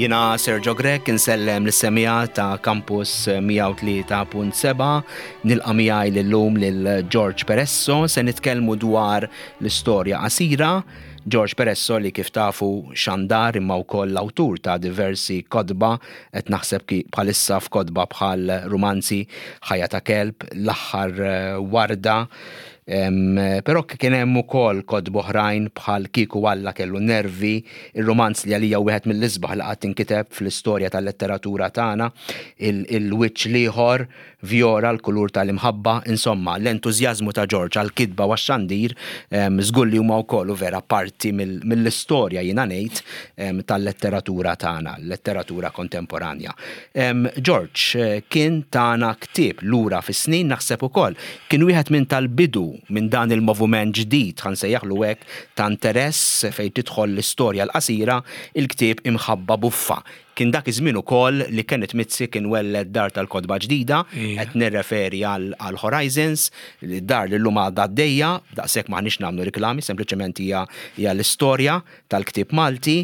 Jiena Sergio Grech insellem lis-semmiegħa ta' Campus 103.7, nilqa' miegħi lillum lil George Peresso, se nitkellmu dwar l-istorja qasira. George Peresso li kif tafu xandar imma wkoll l-awtur ta' diversi kotba, qed naħseb bħalissa f'kotba bħal rumanzi Ħajja ta' Kelb, L-Aħħar Warda, Però kien hemm ukoll kotba oħrajn bħal Kieku Alla kellu n-nervi, ir-rumanz li għalija wieħed mill-isbaħ li qatt inkiteb fl-istorja tal-letteratura tagħna, Il-Wiċċ l-Ieħor, Vjora, L-Kulur tal-Imħabba, insomma, l-entużjażmu ta' Ġorġ għall-kitba u għax-xandir żgur li huma wkoll u vera parti mill-istorja jiena ngħid tal-letteratura tagħna, letteratura kontemporanja. Ġorġ kien tana ktieb lura fis-snin naħseb ukoll Kien wieħed minn tal-bidu minn dan il-movument ġdid, ħa nsejjaħlu hekk, ta' interess fejn tidħol l-istorja l-qasira, il-ktieb Imħabba Buffa. Kien dak iż-żmien ukoll li Kenneth Mizzi kien welled dar tal-kotba ġdida, qed nirreferi għal Horizons, dar li llum għadha għaddejja, daqshekk m'aħniex nagħmlu riklami, sempliċement hija hija l-istorja tal-ktieb Malti.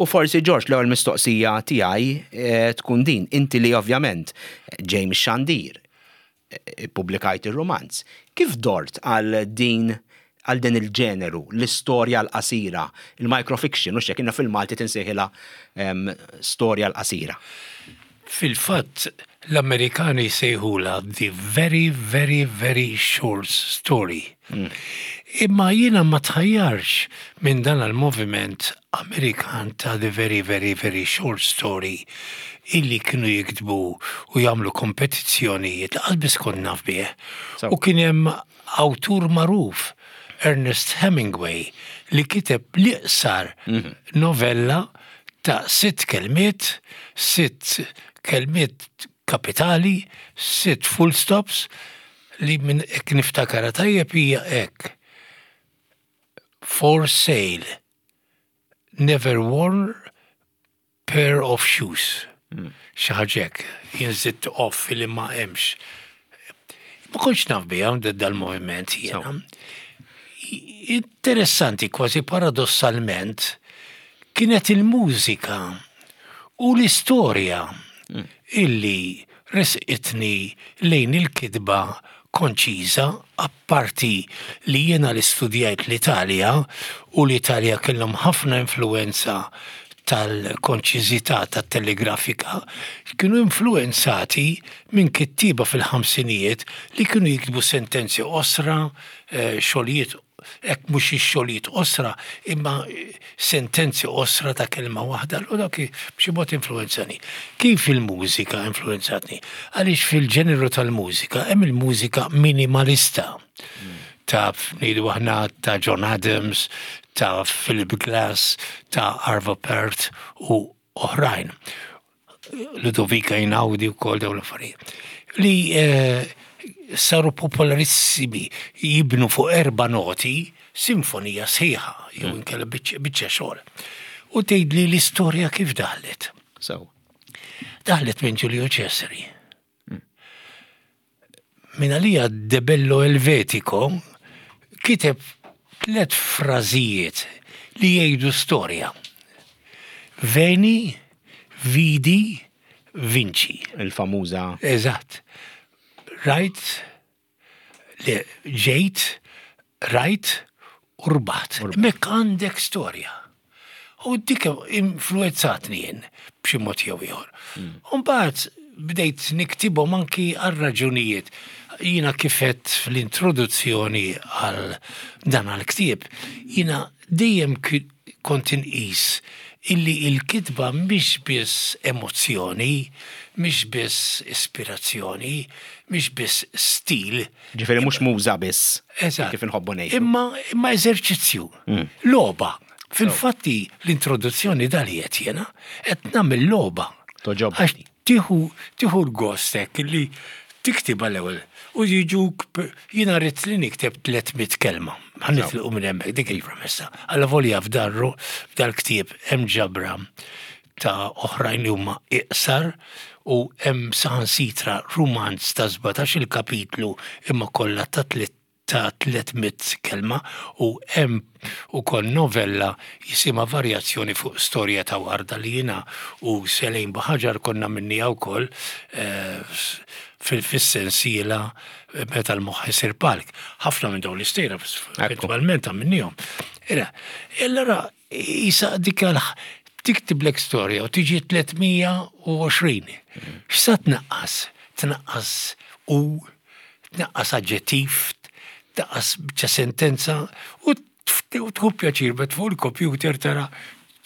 U forsi Ġorġ l-ewwel mistoqsija tiegħi tkun din, inti li ovvjament ġej mix-xandir, ippubblikajt ir-rumanz. Kif dort għal din għal din il-ġeneru, l-istorja l-qasira, il-microfiction, hux hekk, fil-Malti tinsejħilha storja l-qasira. Fil-fatt, l-Amerikani jsejħulha the very, very, very short story. Imma jiena ma tħajjarx minn dan il-moviment Amerikan ta' the very, very, very short story illi kienu jiktbu u jagħmlu kompetizzjonijiet, lanqas biss kont naf bih. U kien hemm awtur magħruf, Ernest Hemingway, li kiteb l-iqsar mhm. novella ta' sitt kelmiet, sitt kelmiet kapitali, sitt full stops, li minn hekk niftakara tajjeb hija hekk. For sale. Never worn pair of shoes. Xi ħaġa hekk. Jien żidt off li ma hemmx. Ma kontx naf biha dal-moviment jiena. Interessanti kważi paradossalment kienet il-mużika u l-istorja illi Resqitni lejn il-kitba konċiża, apparti li jiena li studjajt l-Italja u l-Italja kellhom ħafna influwenza tal-konċiżità tat-telegrafika, kienu influwenzati minn kittieba fil-ħamsinijiet li kienu jiktbu sentenzi qosra, xogħlijiet hekk mhux ix-xogħlijiet qosra, imma sentenzi qosra ta' kelma waħda, allura dak b'xi mod influwenzani. Kif il-mużika influwenzatni? Għaliex fil-ġeneru tal-mużika hemm il-mużika minimalista ta' ngħidu aħna ta' John Adams, ta' Philip Glass, ta' Arvo Pärt u oħrajn. Ludovica Einaudi u kol dawn l-affarijiet. Li eh, saru popolarissimi jibnu fuq erba' noti sinfonija sħiħa jew mm. inkella biċċa xogħol. U tgħidli l-istorja kif daħlet. So. Daħlet minn Giulio Cesari. Min għalija De Bello Elvetico kiteb tlet frażijiet li jgħidu storja. Veni, vidi, vinci. Il-famuża. Eżatt. Rajt, le, ġejt, rajt u rbaħt. Hemmhekk għandek storja. U dik influenzatni jien b'xi mod jew ieħor. Mm. U mbagħad bdejt niktibhom anki għal raġunijiet. Jiena kifet fl-introduzzjoni għal dan għal-ktieb, jiena dejjem kont inqis illi il-kitba mhix biss emozzjoni, mhix biss ispirazzjoni, mhix biss stil. Ġifieri mhux muża biss. Eżatt. Kif inħobbu ngħidu. Imma imma eżerċizzju. Mm. Logħba. Fil-fatti l-introduzzjoni dal qed jiena qed nagħmel logħba. Toġob. Għax tieħu tieħu l-gost hekk li tiktibha l-ewwel u jiġuk jiena rrid li nikteb 300 kelma. Ħa nitlqu minn hemmhekk dik il-premessa. Alla volja f'darru f'dal-ktieb hemm ġabra ta' oħrajn li huma iqsar u hemm saħansitra rumanz ta' 17 il-kapitlu imma kollha ta' tliet ta' 300 kelma u hemm ukoll novella jisimha Varjazzjoni fuq storja ta' warda li jiena u Selejn Buħaġar konna għamilniha wkoll fis-sensiela Meta l-moħħ isir palk. Ħafna minn dawn l-istejjer eventwalment għamilniehom. Allura Isa dik tiktiblek storja u tiġi 320. X'sa tnaqqas? Tnaqqas u, tnaqqas aġġettiv, tnaqqas biċċa sentenza u tieħu pjaċir bet fuq il-computer tara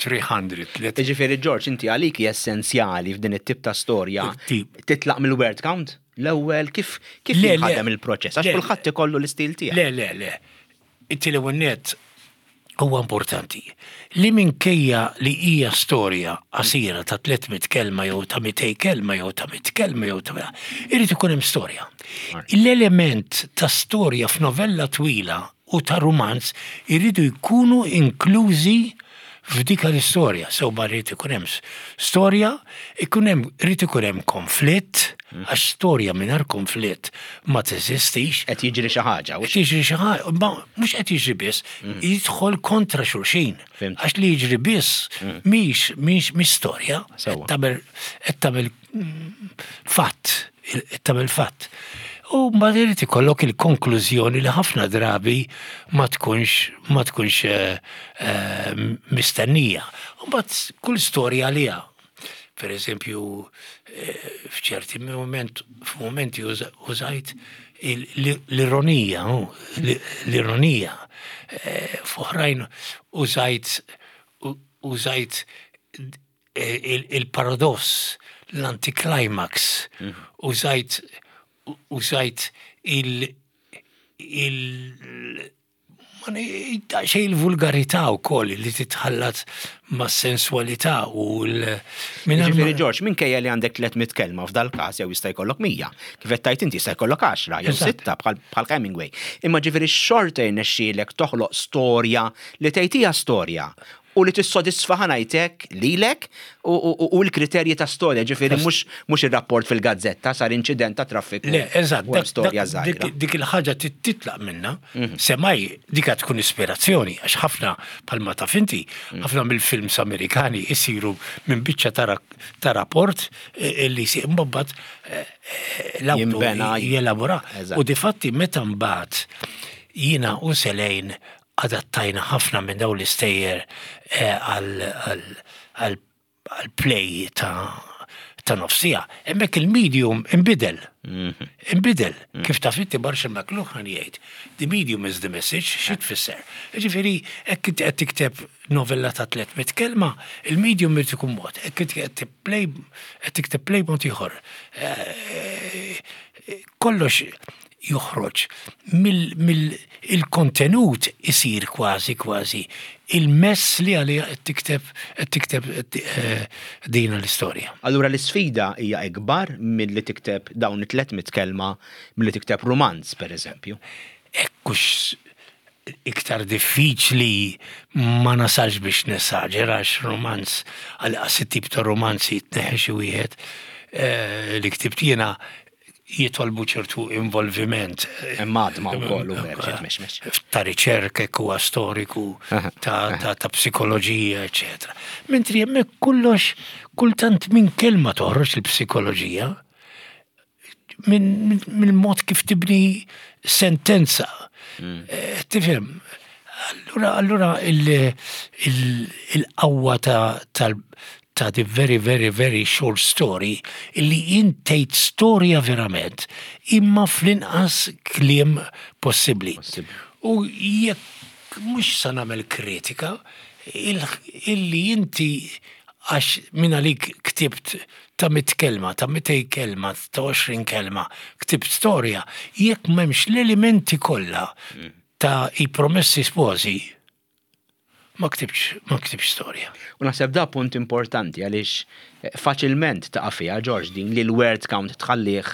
300. Jiġifieri George, inti għalik hija essenzjali f'din it-tip ta' storja titlaq mill-word count l-ewwel kif kif jinħadem il-proċess għax kulħadd ikollu l-istil tiegħu. Le, le, le. Inti l-ewwel nett huwa importanti li minkejja li hija storja qasira ta' 300 kelma jew ta' 200 kelma jew ta' 100 kelma jew ta' irid ikun hemm storja. L-element ta' storja f'novella twila u ta' rumanz iridu jkunu inklużi f'dik l-istorja, sew ma rrid ikun hemm storja, ikun hemm rrid ikun hemm konflitt, mm. għax storja mingħajr konflitt ma teżistix. Qed jiġri xi ħaġa. Qed jiġri xi ħaġa, ma mhux qed jiġri biss, mm. jidħol kontra xulxin. Għax li jiġri biss mm. mhix mhix mhix storja. Qed tagħmel fatt, tagħmel fatt. U mbagħad irid ikollok il-konklużjoni li ħafna drabi ma tkunx ma tkunx eh, eh, mistennija. U mbagħad kull storja għaliha. Per eżempju, eh, f'ċerti moment, f'momenti użajt l-ironija, l-ironija. F'oħrajn użajt użajt il-paradoss, l-anticlimax, użajt użajt il il xej il-vulgarità wkoll li titħallat ma' sensualità u l Ġifieri Ġorġ, minkejja li għandek 300 kelma f'dal-każ jew jista' jkollok 100, kif qed tgħid inti jista' jkollok 10 jew sitta bħal Hemingway. Imma ġifieri xorta jirnexxielek toħloq storja li tgħid hija storja u li tissodisfa ħa ngħid hekk lilek u l-kriterji ta' storja, ġifieri mhux ir-rapport fil-gazzetta sar inċident ta' traffiku. Le, eżatt, storja żgħira. Dik il-ħaġa titlaq minnha, mhm. semmai dik tkun ispirazzjoni għax ħafna bħalma taf inti, mhm. ħafna mill-films Amerikani jsiru minn biċċa ta' rapport eh, li jsir mbagħad eh, eh, l-awtur jelabora. U difatti meta mbagħad jiena u Selejn Adattajna ħafna minn dawn l-istejjer għal play ta' nofs siegħa. Hemmhekk il-medium inbidel. Mhm. Inbidel. Mhm. Kif taf inti Marshall McLuhan jgħid, the medium is the message, xi tfisser? Ġifieri, hekk inti qed tikteb novella ta' 300 kelma, il-medium irid ikun mod. Hekk inti qed play qed tikteb play mod ieħor. Eh, kollox joħroġ mill-kontenut isir kważi kważi il-mess li għaliha qed tikteb qed tikteb eh, dina l-istorja. Allura l-isfida hija ikbar milli tikteb dawn it-300 kelma milli tikteb rumanz pereżempju. Ekkux iktar diffiċli ma nasalx biex nesaġera għax rumanz għal it-tip ta' rumanzi tneħħi xi wieħed eh, li ktibt jiena jitolbu ċertu involviment. Hemm għadma wkoll u verġi tmexmex. Ta' riċerka hekk huwa storiku, ta' psikoloġija, eċetera. Mentri hemmhekk kollox kultant minn kelma toħroġ il-psikoloġija, minn mod kif tibni sentenza. Mm. Eh, tifhem, allura allura il-qawwa ta' ta' the very very very short story illi int tgħid storja verament imma fl-inqas kliem possibbli. U jekk mhux sa nagħmel kritika, illi inti għax minn għalik ktibt ta' mit kelma, ta' mitej kelma, ta' 20 kelma, ktibt storja, jekk m'hemmx l-elementi kollha mm. ta' i promessi sposi, Ma ktibtx, ma ktibtx storja. U naħseb da punt importanti għaliex eh, faċilment taqa' fiha George din li l-word count tħallih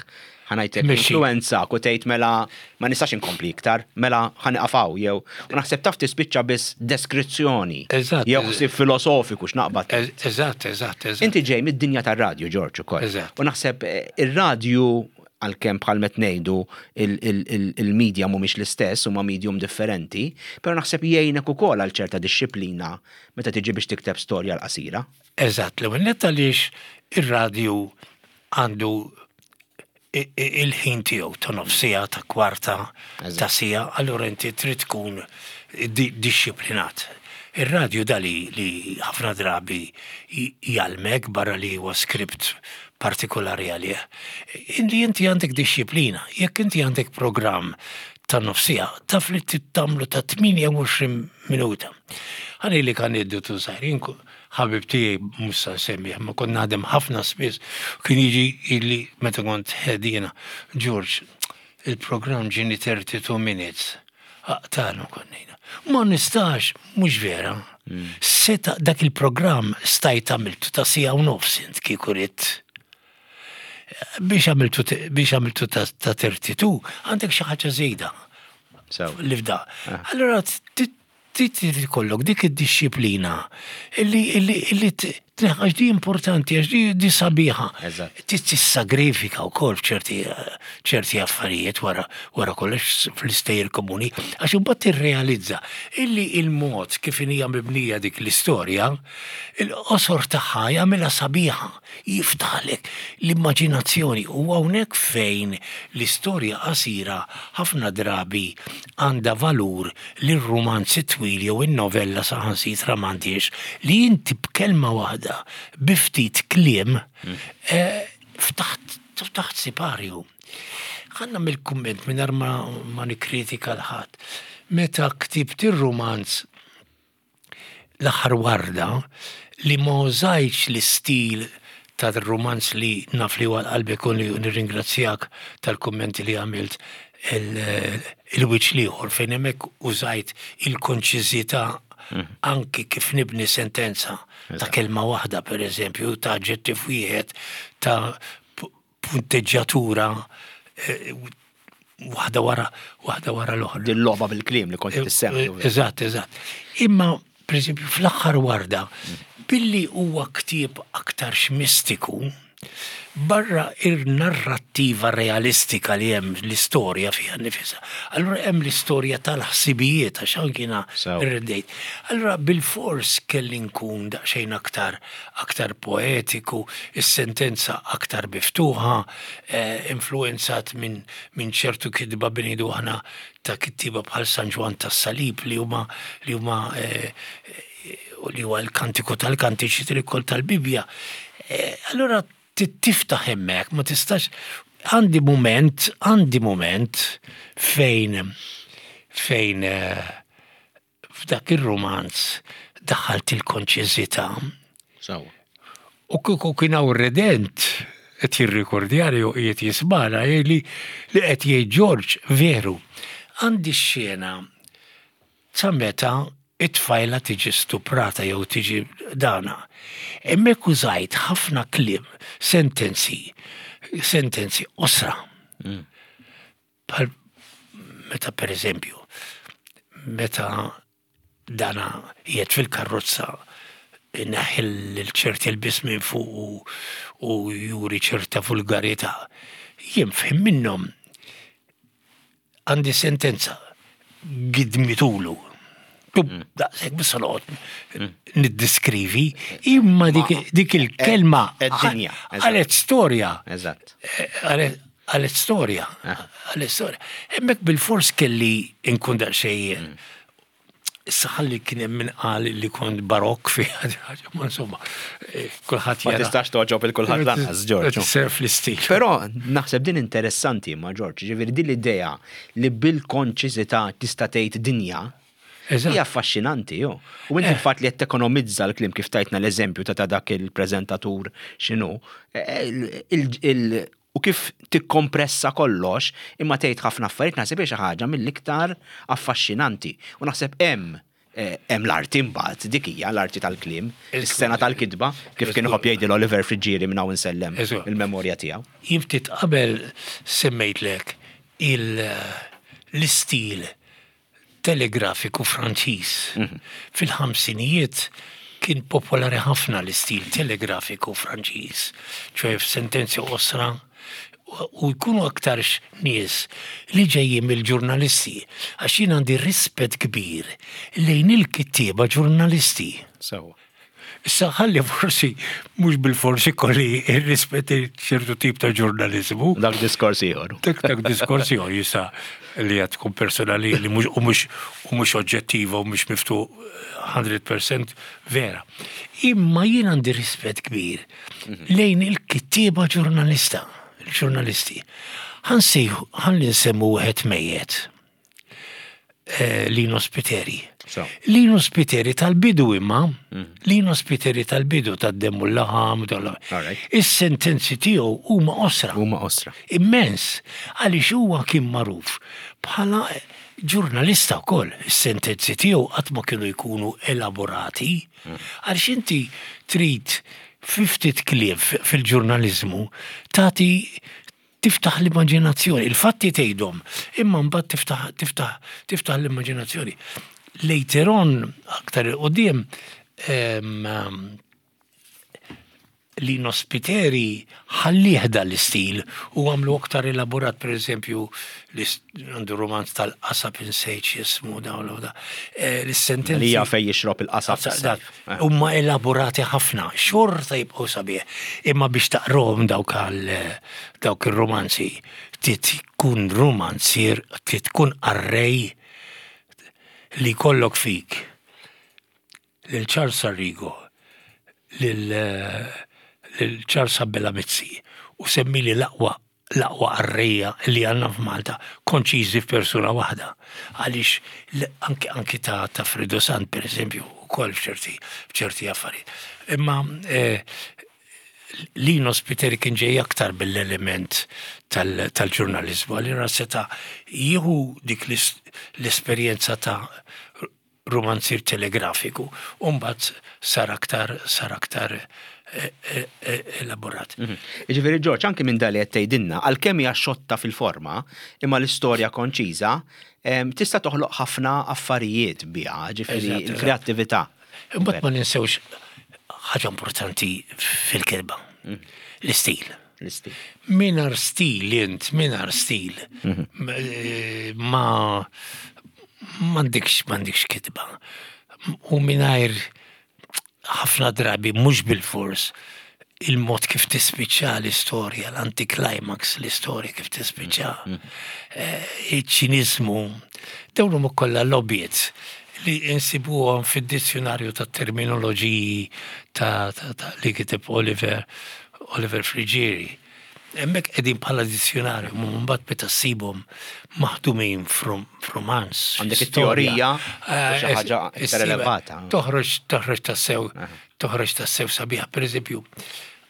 ħanajtek influenzak u tgħid mela ma nistax inkompli iktar, mela ħaniqafaw jew u naħseb taf tispiċċa biss deskrizzjoni. Eżatt. Jew ħsieb filosofiku x'naqbad. Eżatt, eżatt, eżatt. Inti ġej mid-dinja tar-radju George ukoll. Eżatt. U naħseb eh, ir-radju għalkemm bħal met ngħidu il-media mhumiex l-istess huma medium differenti, però naħseb jgħinek ukoll għal ċerta dixxiplina meta tiġi biex tikteb storja l-qasira. Eżatt, l-ewwel nett għaliex ir-radju għandu il-ħin tiegħu ta' nofsija, ta' kwarta, ta' sija, allura inti trid tkun dixxiplinat. Ir-radju da li li ħafna drabi jgħallmek barra li huwa script partikolari għalih, li inti għandek dixxiplina. Jekk inti għandek programm ta' nofsija, taf li trid tagħmlu ta' 28 minuta. Ħa ngħidlek aneddotu żgħir, jien ħabib tiegħi mhux sa nsemmih, ma kont naħdem ħafna spiss, kien jiġi jgħidli meta kont head jiena, George, il-programm ġieni 32 minutes. Aqtalu konnejna. Ma nistax, mhux vera. Seta dak il-programm stajt għamiltu ta' sija u nofs int kieku ridt. Biex għamiltu biex għamiltu ta' 32, għandek xi ħaġa żejda. Li fda. Ah. Allora trid ikollok dik id-dixxiplina illi illi illi għax di importanti, għax di di sabiħa. Trid tissagrifika wkoll f'ċerti ċerti affarijiet wara wara kollox fl-istejjer komuni, għax imbagħad tirrealizza illi il-mod kif hija mibnija dik l-istorja, il-qosor tagħha jagħmilha sabiħa. Jiftaħlek l-immaġinazzjoni u hawnhekk fejn l-istorja qasira ħafna drabi għandha valur li r-rumanz it-twil jew in-novella saħansitra m'għandhiex, li inti b'kelma waħda, bi ftit kliem, ftaħt ftaħt siparju. Ħa nagħmel kumment mingħajr ma ma nikkritika 'l ħadd. Meta ktibt ir-rumanz L-aħħar warda li ma użajtx l-istil tar-rumanz li naf li huwa għal qalbek u nirringrazzjak tal-kummenti li għamilt il-wiċċ l-ieħor fejn hemmhekk użajt il-konċiżità anki kif nibni sentenza ta' kelma waħda pereżempju, ta' aġġettiv wieħed, ta' punteġġjatura eh, waħda wara waħda wara l-oħra. Din logħba bil-kliem li kont eh, tissemmi. Eh, eżatt, eżatt. Imma pereżempju fl-aħħar warda billi huwa ktieb aktarx mistiku, barra ir-narrattiva realistika li hemm l-istorja fiha nifisha. Allura hemm l-istorja tal-ħsibijiet għax anki jiena rreddejt. Allura bilfors kelli nkun daqsxejn aktar aktar poetiku, is-sentenza aktar miftuħa, influwenzat minn min ċertu kitba bi ngħidu aħna ta' kittieba bħal San Ġwann tas-Salib li huma li huma li huwa l-kantiku tal-kantiċi trikol tal-Bibbja. Allura tiftaħ hemmhekk, ma tistax għandi mument, għandi mument fejn fejn F'dak ir-rumanz daħħalt il-konċiżità. Sewwa. U kieku kien hawn redent qed jirrikordjani u qiegħed jismagħna jgħidli li qed jgħid George veru. Għandi x-xena ta' meta it-tfajla tiġi stuprata jew tiġi dana. Hemmhekk użajt ħafna kliem, sentenzi, sentenzi qosra. Mm. Bħal meta pereżempju, meta dana qiegħed fil-karrozza ineħħi l-ċerti lbies minn fuq u juri ċerta vulgarità. Jien f'ħin minnhom għandi sentenza gidmitulu. Mm. Daqshekk biss noqgħod mm. niddiskrivi, imma dik il-kelma għalet storja. Eżatt. Eh, għalet storja. Ah. Għalet storja. Hemmhekk bil-fors kelli nkun daqsxejn mm. Issa ħalli kien hemm min qal li kont barokk fi ħaġa, ma insomma, eh, kulħadd Ma tistax toġob il kulħadd lanqas, Ġorġ. Serf l-istil. Però naħseb din interessanti ma Ġorġ, ġifieri din l-idea li bil-konċiżità tista' tgħid dinja. Hija affaxxinanti, jo. U inti eh. l-fatt li qed tekonomizza l-kliem kif tajtna l-eżempju ta' dak il-preżentatur x'inhu, eh, u kif tikkompressa kollox imma tgħid ħafna affarijiet naħseb hija xi ħaġa mill-iktar affaxxinanti. U naħseb hemm eh, hemm l-arti mbagħad dik hija l-arti tal-kliem, is-sena tal-kitba, kif kien iħobb jgħidil Oliver Friggieri minn hawn insellem il-memorja tiegħu. Jien ftit qabel semmejtlek l-istil telegrafiku Franċiż. Fil-ħamsinijiet kien popolari ħafna l-istil telegrafiku Franċiż, ċoe f'sentenzi qosra U jkunu aktarx nies li ġejjin mill-ġurnalisti, għax jien għandi rispett kbir lejn il-kittieba ġurnalisti. Sewwa. Issa ħalli forsi mhux bilfors ikolli r-rispett lejn ċertu tip ta' ġurnaliżmu. Dak diskors ieħor. Dak dak diskors ieħor jista' li qed tkun personali li mhux u mhux u mhux oġġettiva u mhux miftuħ 100% vera. Imma jien għandi rispett kbir lejn il-kittieba ġurnalista, il-ġurnalisti. Ħansejħu, ħalli nsemmu wieħed mejjet. Eh, Lino Spiteri. Lino Spiteri tal-bidu imma, mm. Lino Spiteri tal-bidu tad-demmu l-laħam, is-sentenzi tiegħu huma osra. Huma osra. Immens, għaliex huwa kien magħruf bħala ġurnalista wkoll, is-sentenzi tiegħu qatt ma kienu jkunu elaborati, mm. għaliex inti trid ftit kliem fil-ġurnaliżmu tagħti tiftaħ l-immaġinazzjoni, il-fatti tgħidhom, imma mbagħad tiftaħ tiftaħ tiftaħ l-immaġinazzjoni. Later on, aktar il-qudiem, Lino Spiteri ħallih dan l-istil u għamlu aktar elaborat, per eżempju, għandu romanz tal-qasab insejt x'jismu dawn da. Eh, l-sentenzi. Li fej jixrob il-qasab. Eh. Huma elaborati ħafna, xorta jibqgħu sabiħ. Imma biex taqrohom dawk għal dawk ir-romanzi, trid tkun romanzier, trid tkun qarrej li jkollok fik lil Charles Arrigo, lil lil Charles Abela Mizzi u semmili l-aqwa l-aqwa qarrejja li għandna f'Malta konċiżi f'persuna waħda. Għaliex anki anki ta' ta' Fredo Sant pereżempju ukoll f'ċerti f'ċerti affarijiet. Imma eh, Lino Spiteri kien ġej aktar mill-element tal-ġurnaliżmu, allura seta' jieħu dik l-esperjenza ta' rumanzier telegrafiku u mbagħad sar aktar sar aktar eh, eh, eh, elaborat. Mhm. Jiġifieri Ġorġ, anki minn dali qed tgħidilna, għalkemm hija xotta fil-forma, imma l-istorja konċiża, tista' toħloq ħafna affarijiet biha, ġifieri l-kreattività. Imbagħad ma ninsewx ħaġa importanti fil-kelba, mhm. l-istil. L-istil. Minar stil int, minar stil. Mhm. Ma m'għandekx m'għandekx kitba. U mingħajr ħafna drabi mhux bilfors il-mod kif tispiċċa l-istorja, l-anticlimax l-istorja kif tispiċċa, mm, mm. eh, iċ-ċiniżmu, dawn huma kollha lobbiet li insibuhom fid-dizzjonarju ta' terminoloġiji ta' li kiteb Oliver Oliver Friggieri. Hemmhekk qegħdin bħala dizzjonarju, ma mbagħad meta ssibhom maħdumin f'rumanz. Għandek it-teorija eh, xi ħaġa iktar elevata. Toħroġ toħroġ tassew toħroġ tassew sabiħa. Pereżempju,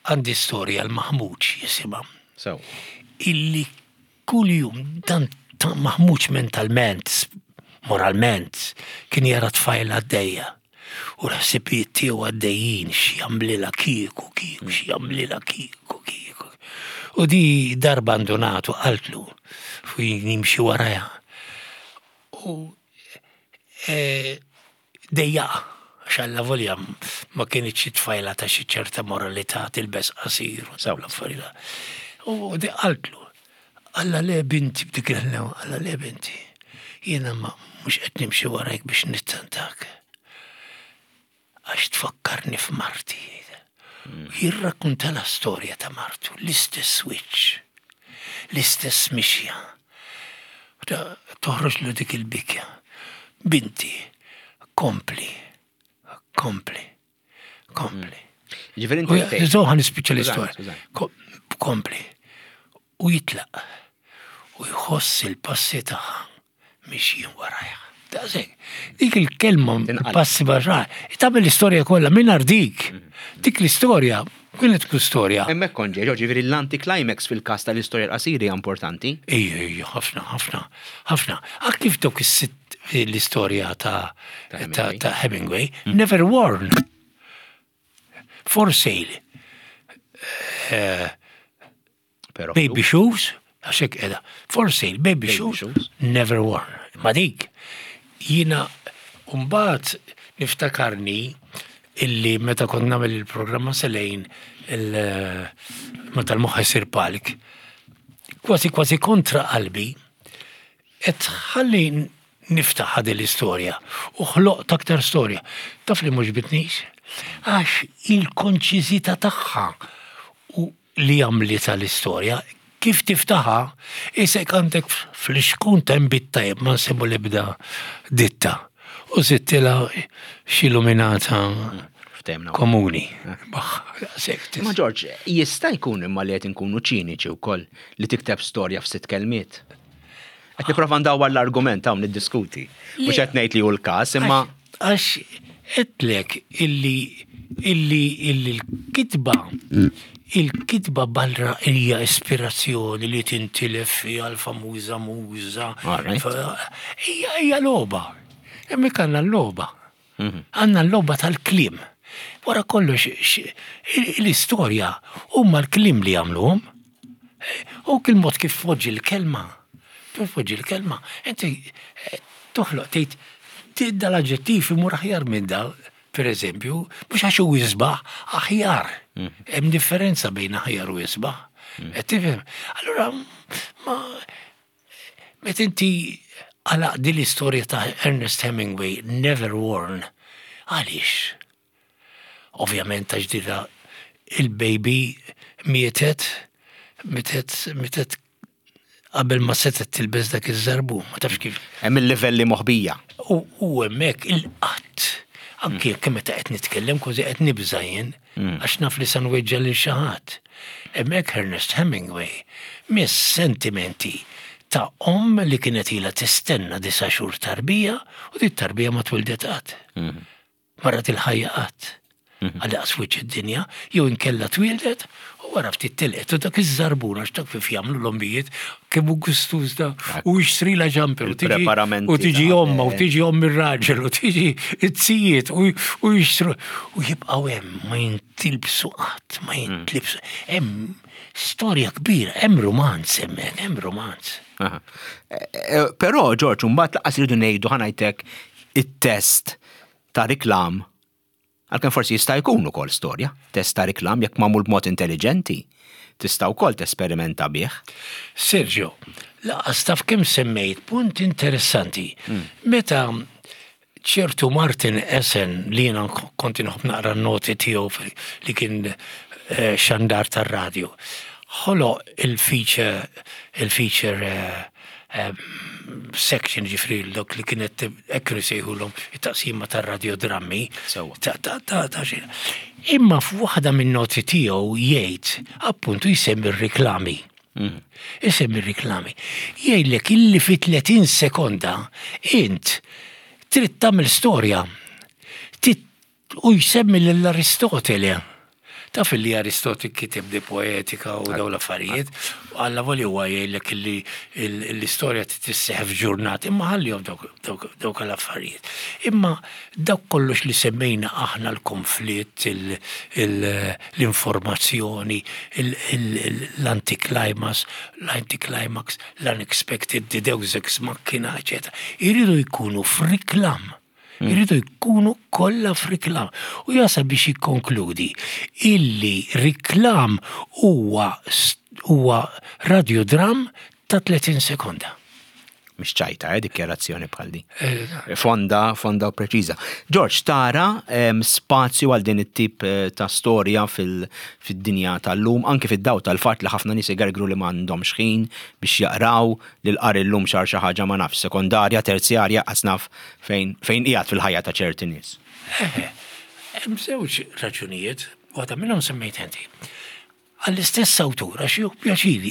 għandi storja l-Maħmuġ jisimha. Sew. Illi kuljum dan maħmuġ mentalment, moralment, kien jara tfajla għaddejja. U l-ħsibijiet tiegħu għaddejjin x'jagħmlilha kieku kieku x'jagħmlilha kieku kieku. U di darba ndunatu qaltlu fu jimxi warajha. U e, dejjaqa għax alla volja ma kienitx xi tfajla ta' xi ċerta moralità tilbes qasir u dawn l-affarijiet. U di qaltlu, Alla le binti b'dik il-ħlewa, alla le binti. Jiena ma mhux qed nimxi warajk biex nittantak. Għax tfakkarni f'marti. Mm. Jirrakkunta la storja ta' martu, l-istess wiċċ, l-istess mixja. Toħroġ lu dik il-bikja. Binti, kompli, kompli. Kompli. Ġifieri inti. Zoħa nispiċċa l-istorja. Kompli. U jitlaq. U jħoss il-passi tagħha mixjin warajha. Daqshekk. Dik il-kelma passi barra, tagħmel l-istorja kollha mingħajr dik. Mhm. Dik l-istorja kienet tkun storja. Hemmhekk kont ġej, ġifieri l-anticlimax fil-każ tal-istorja l-qasira hija importanti. Ejja, ejja, ħafna, ħafna, ħafna. Ak kif dawk is-sitt l-istorja ta' ta' Hemingway, mm. Never Worn. For sale. Eh, baby shoes, għaxek edha. For sale, baby, shoes, never worn. Ma dik, jina umbat niftakarni illi meta kont nagħmel il-programma selejn il meta l-moħħ isir palk. kważi kważi kontra qalbi, qed ħalli niftaħ din l-istorja u ħloqt aktar storja. Taf li mhux bitnix? Għax il-konċiżità tagħha u li għamlitha l-istorja, kif tiftaħha, isek għandek fl-ixkun ta' inbid tajjeb ma nsemmu l-ebda ditta u żidtilha xi luminata komuni. Ma Ġorġ, jista' jkun imma li qed inkunu ċiniċi wkoll li tikteb storja f'sitt kelmiet. Qed nipprova ndawwar l-argument hawn niddiskuti. Mhux qed ngħid li hu l-każ, imma. Għax għedtlek illi illi illi l-kitba il-kitba barra hija ispirazzjoni li tintilef fiha l-famuża muża. Hija hija logħba. Hemmhekk għandna l-logħba. Mhm. Għandna l-logħba tal-kliem. Wara kollox l-istorja huma l-kliem li jagħmluhom. U kil mod kif tpoġġi l-kelma, tpoġġi l-kelma, inti eh, toħloq tgħid dal-aġġettiv imur aħjar minn da, per eżempju, mhux għax hu isbaħ, aħjar. Mm. Hemm differenza bejn aħjar u isbaħ. Mm. Qed tifhem? Allura ma meta inti għalaq din l-istorja ta' Ernest Hemingway, Never Worn, għaliex? Ovvjament għax dira il-baby mietet, mietet, mietet qabel ma setgħet tilbes dak iż-żarbun, ma tafx kif. Hemm il-livelli moħbija. U hemmhekk il-qatt, anke jekk meta qed nitkellem kważi qed nibża' jien, mm. għax naf li se nweġġa' lil xi ħadd. Hemmhekk Ernest Hemingway miss sentimenti ta' omm li kienet ilha tistenna disa' xhur tarbija u dit tarbija ma twildet qatt. Mm. Ma rat il-ħajja qatt. Mhm. Għal daqs wiċċ id-dinja, jew inkella twieldet u wara ftit telqet u dak iż-żarbun għax dak kif jagħmlu l-ommijiet kemm hu gustuż da u jixtrila ġamper u tiġi u tiġi omma u tiġi omm ir-raġel u tiġi it-sijiet u jixtru u jibqgħu hemm ma jintilbsu qatt, ma mm. jintlibsu. Hemm storja kbira, hemm romanz hemmhekk, hemm romanz. Eh, eh, però Ġorġ, mbagħad laqas iridu ngħidu ħanajtek it-test ta' riklam, għalkemm forsi jista' jkun ukoll storja, test ta' riklam jekk magħmul b'mod intelliġenti, tista' wkoll tesperimenta bih. Sergio, laqas taf kemm semmejt punt interessanti. Hmm. Meta ċertu Martin Essen li jiena kont inħobb naqra n-noti tiegħu li kien eh, xandar tar-radju, ħoloq il-feature il-feature eh, section ġifri dok li kienet hekk kienu jsejħulhom it-taqsima tar-radiodrammi. Imma f'waħda minn noti tiegħu jgħid appuntu jsemmi r-riklami. Mm. Isemmi r-riklami. Jgħidlek illi fi 30 sekonda int trid tagħmel storja. U jsemmi lil Aristotele. Taf illi Aristotle kiteb De Poetica u dawn l-affarijiet, alla voli huwa jgħidlek illi l-istorja trid isseħħ f'ġurnata, imma ħallihom dawk l-affarijiet. Imma dawk kollox li semmejna aħna l-konflitt, l-informazzjoni, l-anticlimax, l-anticlimax, l-unexpected, the deus ex machina, eċetera, iridu jkunu f'riklam. Hmm. Iridu jkunu kollha f'riklam. U jasal biex jikkonkludi illi riklam huwa huwa radiodram ta' 30 sekonda. Mhix ċajta, eh, dikjarazzjoni bħal di. Eh, fonda, fonda u preċiża. George, tara spazju għal din it-tip eh, ta' storja fil-dinja tal-lum, anki fid-daw tal-fatt li ħafna nies igergru li m'għandhomx ħin biex jaqraw li l-qari llum sar xi ħaġa ma nafx, sekondarja, terzjarja, qas naf fejn fejn qiegħed fil-ħajja ta' ċerti nies. Eħe, hemm żewġ raġunijiet, waħda minnhom semmejt inti. Għall-istess awtur, għax jieħu pjaċir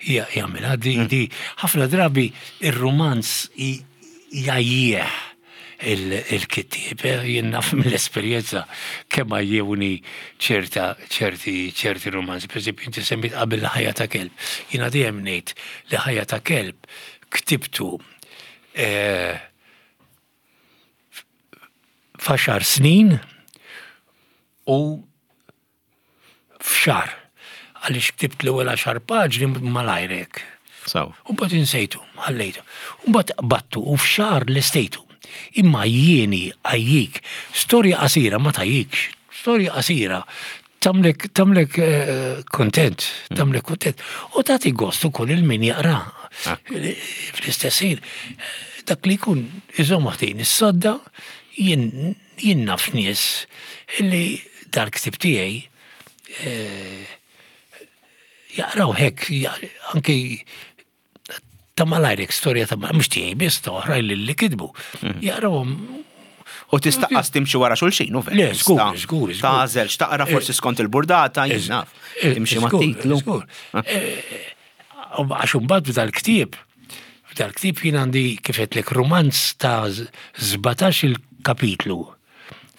jagħmilha di di ħafna drabi ir-rumanz jgħajjih il-kittieb, eh, jien naf mill-esperjenza kemm għajjewni ċerta ċerti ċerti romanzi. Per eżempju, inti semmit qabel ħajja ta' kelb. Jiena dejjem ngħid li ħajja ta' kelb ktibtu eh, f'għaxar snin u f'xahar. Għaliex ktibt l-ewwel għaxar paġni malajr hekk. Sew. U mbagħad insejtu, ħallejtu. U mbagħad qbadtu u f'xahar lestejtu. Imma jieni għajjik, storja qasira ma tgħajjikx. Storja qasira. Tagħmlek tagħmlek kuntent, tagħmlek kuntent. U tagħti gost ukoll il min jaqra. Ah. Fl-istess ħin, dak li jkun iżomm ħdejn is-sodda jien jien naf nies li dal-ktieb tiegħi eh, jaqraw hekk anki ta' malajr storja ta' mhux tiegħi biss ta' oħrajn li li kitbu. Mhm. Jaqrawhom U tista' qas timxi wara xulxin, u vera. Le, żgur, żgur. Tagħżel x'taqra eh, forsi skont il-burdata, jien naf. Eh, timxi ma' titlu. Eh, għax imbagħad f'dal-ktieb, f'dal-ktieb jien għandi kif qedlek rumanz ta' 17 il-kapitlu.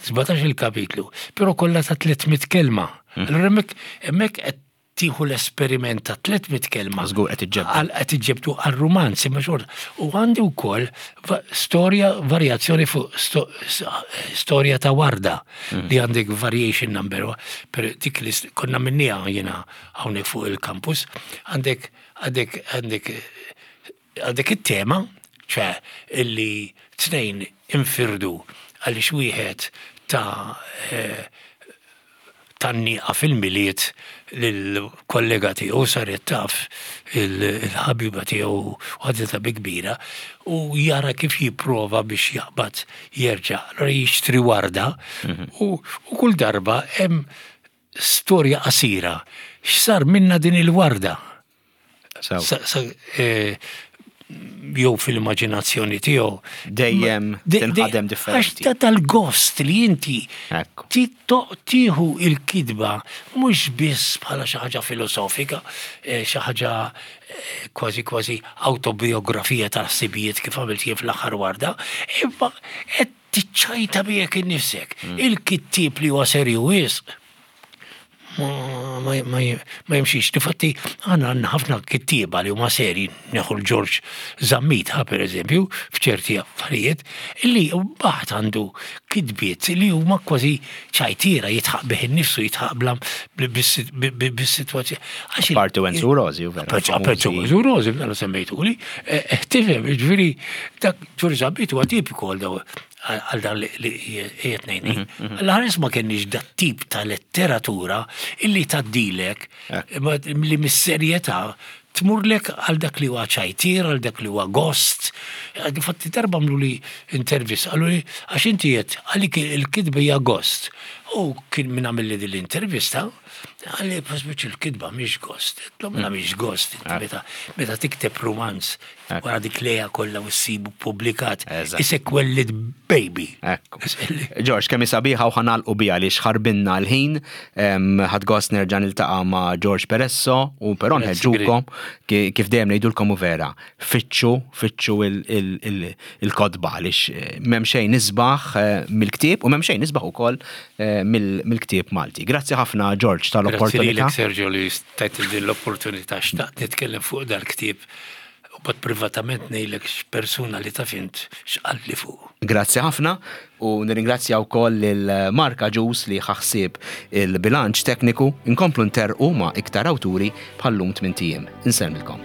17 il-kapitlu, però kollha ta' 300 kelma. Mhm. Allura hemmhekk hemmhekk qed tieħu l-esperiment ta' 300 kelma. Żgur qed iġġebdu. Qed iġġebdu għal rumanz imma xorta. U għandi wkoll storja varjazzjoni fuq storja ta' warda mm. li għandek variation number per dik li konna minnija jiena hawnhekk fuq il-campus għandek għandek għandek għandek it-tema ċe illi tnejn infirdu għaliex wieħed ta' eh, tgħanniqa fil-Milied lill-kollega tiegħu saret taf il-ħabiba tiegħu u ħaditha bi kbira u jara kif jipprova biex jaqbad jerġa'. Allura jixtri warda mhm. u kull darba hemm storja qasira x'sar minna din il-warda. Eh, jew fil-immaġinazzjoni tiegħu. Dejjem tinħadem differenti. Għax ta' tal-gost li inti tieħu il-kitba mhux biss bħala xi ħaġa filosofika, eh, xi ħaġa eh, kważi kważi autobiografija tal-ħsibijiet kif għamilt jien fl-aħħar warda, imma qed tiċċajta miegħek innifsek. Mm. Il-kittieb li huwa serju wisq ma jimxix. Difatti, għanna għanna ħafna kittieba li huma seri, neħu l-Ġorġ Zammit, ha, per eżempju, f'ċerti affarijiet, li baħt għandu kitbiet li huma kważi ċajtira, jitħaq bih innifsu, jitħaq bla bis-sitwazzjoni. Parti Wenzu Rosi, u vera. Parti Wenzu Rosi, mela semmejtuli. Eh, eh, tifhem, ġifieri, dak Ġorġ Zammit huwa tipiku għal daw għal dan li qiegħed ngħid. Mhm, mhm. L-ħares ma kenniex dat tip ta' letteratura illi tgħaddilek li mis-serjetà tmurlek għal dak li huwa ċajtier, għal dak li huwa gost. Infatti darba għamlu li intervista, għallu li għax inti qed għalik il-kitba hija gost. U kien min għamil li din l-intervista, għalli pasbiċ il-kitba mhix gost. Mela mhix gost, meta meta tikteb romanz Wara dik leja kollha u ssibu ppubblikat. Isek wellid baby. Ekku. George, kemm sabiħa u ħanalqu biha li xħarbinna l-ħin. Ħadd gost nerġa' niltaqa' ma' George Peresso u però nħeġġukom kif dejjem ngħidulkom u vera. Fittxu, fittxu il-kotba għaliex eh, m'hemm xejn isbaħ eh, mill-ktieb u m'hemm xejn isbaħ ukoll eh, mill-ktieb Malti. Grazzi ħafna George tal-opportunità. Grazzi Sergio li tajt din l-opportunità xtaqt nitkellem fuq dal-ktieb U mbagħad privatament ngħidlek x'persuna li taf int x'qaltli fuqu. Grazzi ħafna u nirringrazzja wkoll lil Mark Agius li ħa ħsieb il-bilanċ tekniku. Inkomplu nterrqu ma' iktar awturi bħal-lum tmint ijiem. Insellmilkom.